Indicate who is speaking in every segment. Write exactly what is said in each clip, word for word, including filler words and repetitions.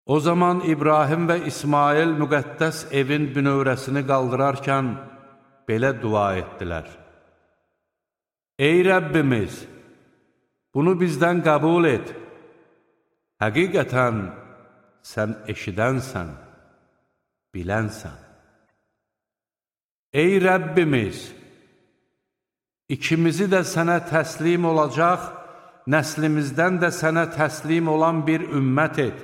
Speaker 1: O zaman İbrahim və İsmail müqəddəs evin bünövrəsini qaldırarkən belə dua etdilər. Ey Rəbbimiz, bunu bizdən qəbul et. Həqiqətən sən eşidənsən, bilənsən. Ey Rəbbimiz, ikimizi də sənə təslim olacaq, nəslimizdən də sənə təslim olan bir ümmət et.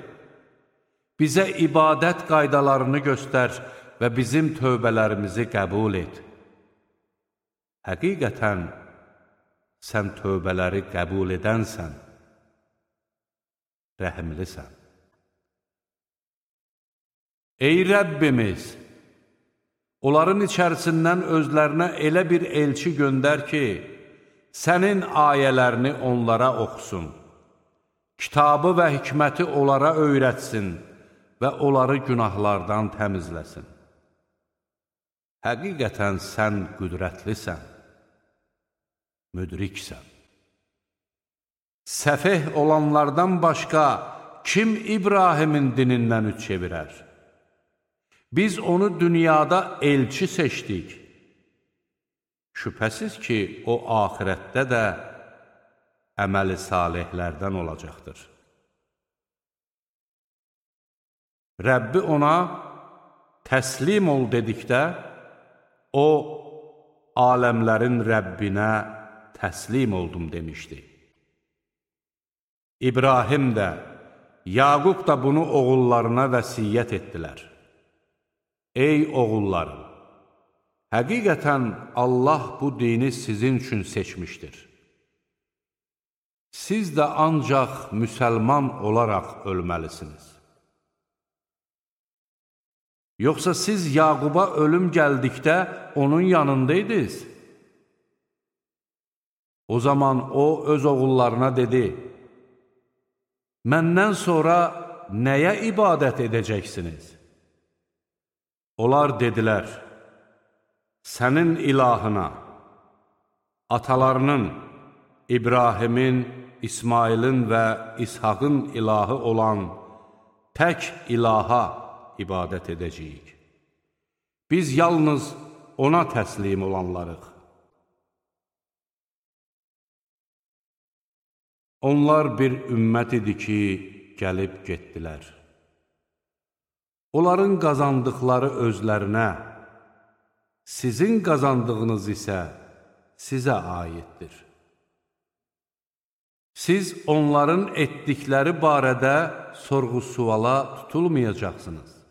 Speaker 1: Bizə ibadət qaydalarını göstər və bizim tövbələrimizi qəbul et. Həqiqətən, sən tövbələri qəbul edənsən, rəhimlisən. Ey Rəbbimiz, onların içərisindən özlərinə elə bir elçi göndər ki, sənin ayələrini onlara oxusun, kitabı və hikməti onlara öyrətsin və onları günahlardan təmizləsin. Həqiqətən sən qüdrətlisən, müdriksən. Səfeh olanlardan başqa kim İbrahimin dinindən üç çevirər? Biz onu dünyada elçi seçdik. Şübhəsiz ki, o axirətdə də əməli salihlərdən olacaqdır. Rəbbi ona təslim ol dedikdə, o, aləmlərin Rəbbinə təslim oldum demişdi. İbrahim də, Yaqub da bunu oğullarına vəsiyyət etdilər. Ey oğullarım, həqiqətən Allah bu dini sizin üçün seçmişdir. Siz də ancaq müsəlman olaraq ölməlisiniz. Yoxsa siz Yaquba ölüm gəldikdə onun yanındaydınız? O zaman o öz oğullarına dedi, məndən sonra nəyə ibadət edəcəksiniz? Onlar dedilər, sənin ilahına, atalarının, İbrahimin, İsmailin və İshaqın ilahı olan tək ilaha ibadət edəcəyik. Biz yalnız ona təslim olanlarıq. Onlar bir ümmət idi ki, gəlib getdilər. Onların qazandıqları özlərinə, sizin qazandığınız isə sizə aiddir. Siz onların etdikləri barədə sorğu-suala tutulmayacaqsınız.